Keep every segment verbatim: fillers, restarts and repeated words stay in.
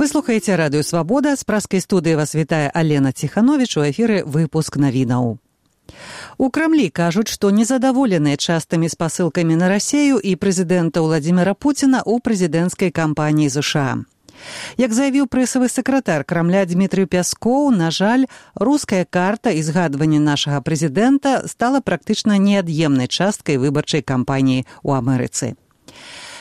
Вы слухаеце радыё «Свабода». З праскай студыі вас вітае Алена Ціхановіч. У эфіры выпуск навінаў. У Крамлі кажуць, што незадаволеныя частымі спасылкамі на Расею і прэзідэнта Владзіміра Пуціна ў прэзідэнцкай кампаніі ЗША. Як заявіў прэсавы сакратар Крамля Дмітрый Пяскоў, на жаль, руская карта і згадванне нашага прэзідэнта стала практычна неад'емнай часткай выбарчай кампаніі ў Амерыцы.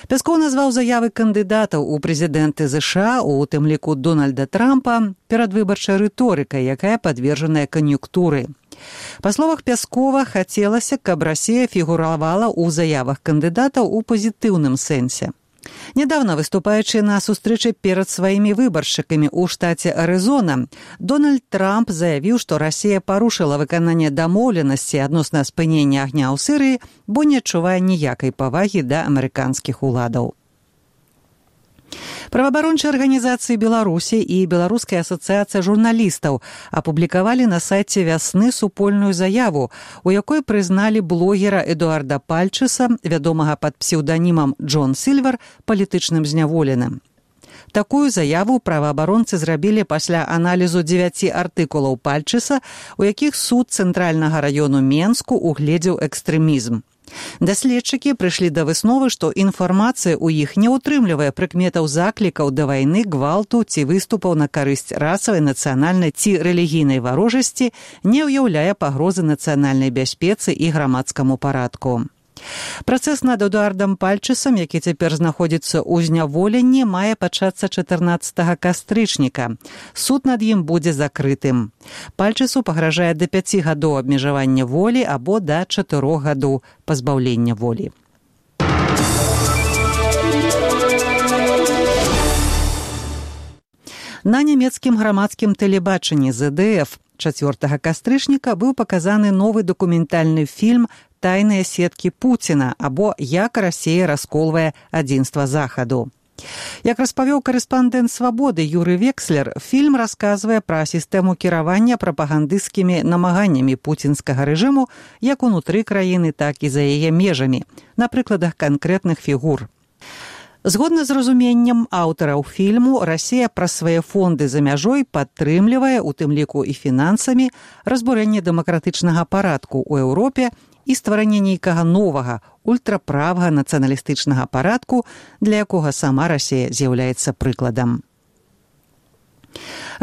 Пяскоў назваў заявы кандыдатаў у прэзідэнты ЗША, у тым ліку Дональда Трампа, перадвыбарчай рыторыкай, якая падвержаная кан'юнктуры. Па словах Пяскова, хацелася, каб Расія фігуравала ў заявах кандыдатаў у пазітыўным сэнсе. Нядаўна, выступаючы на сустрэчы перад сваімі выбаршчыкамі ў штаце Арызона, Дональд Трамп заявіў, што Расія парушыла выкананне дамоўленасці адносна спынення агня ў Сірыі, бо не адчувае ніякай павагі да амерыканскіх уладаў. Праваабарончыя арганізацыі Беларусі і Беларуская асацыяцыя журналістаў апублікавалі на сайце «Вясны» супольную заяву, у якой прызналі блогера Эдуарда Пальчыса, вядомага пад псеўданімам Джон Сільвер, палітычным зняволеным. Такую заяву праваабаронцы зрабілі пасля аналізу дзевяці артыкулаў Пальчыса, у якіх суд цэнтральнага раёну Менску угледзеў экстрэмізм. Даследчыкі прыйшлі да высновы, што інфармацыя ў іх не ўтрымлівае прыкметаў заклікаў да вайны, гвалту ці выступаў на карысць расавай, нацыянальнай ці рэлігійнай варожасці, не ўяўляе пагрозы нацыянальнай бяспецы і грамадскаму парадку. Працэс над Эдуардам Пальчысам, які цяпер знаходзіцца ў зняволенні, мае пачацца чатырнаццатага кастрычніка. Суд над ім будзе закрытым. Пальчысу пагражае да пяці гадоў абмежавання волі або да чатырох гадоў пазбаўлення волі. На нямецкім грамадскім тэлебачанні зэ дэ эф чацвёртага кастрычніка быў паказаны новы дакументальны фільм «Тайныя сеткі Пуціна» або «Як Расія расколвае адзінства Захаду». Як распавёў карэспандэнт «Свабоды» Юры Векслер, фільм расказвае пра сістэму кіравання прапагандысцкімі намаганнямі пуцінскага рэжыму як унутры краіны, так і за яе межамі, на прыкладах канкрэтных фігур. Згодна з разуменнем аўтараў фільму, Расія праз свае фонды за мяжой падтрымлівае, у тым ліку і фінансамі, разбурэнне дэмакратычнага парадку ў Еўропе і стварэнне нейкага новага, ультраправага нацыяналістычнага парадку, для якога сама Расія з'яўляецца прыкладам.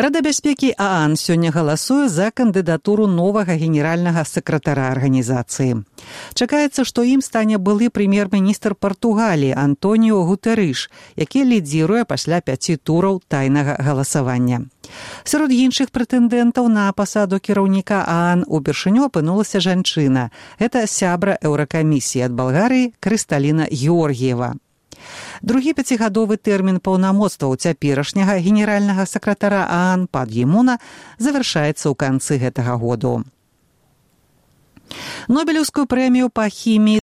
Рада бяспекі ААН сёння галасуе за кандыдатуру новага генеральнага сакратара арганізацыі. Чакаецца, што ім стане былы прэм'ер-міністр Партугаліі Антоніо Гутэрыш, які лідзіруе пасля пяці тураў тайнага галасавання. Сярод іншых прэтэндэнтаў на пасаду кіраўніка ААН упершыню апынулася жанчына. Гэта сябра Еўракамісіі ад Балгарыі Крысталіна Георгіева. Другі пяцігадовы тэрмін паўнамоцтваў цяперашняга генеральнага сакратара ААН Пан Гі Муна завяршаецца ў канцы гэтага году. Нобелеўскую прэмію па хіміі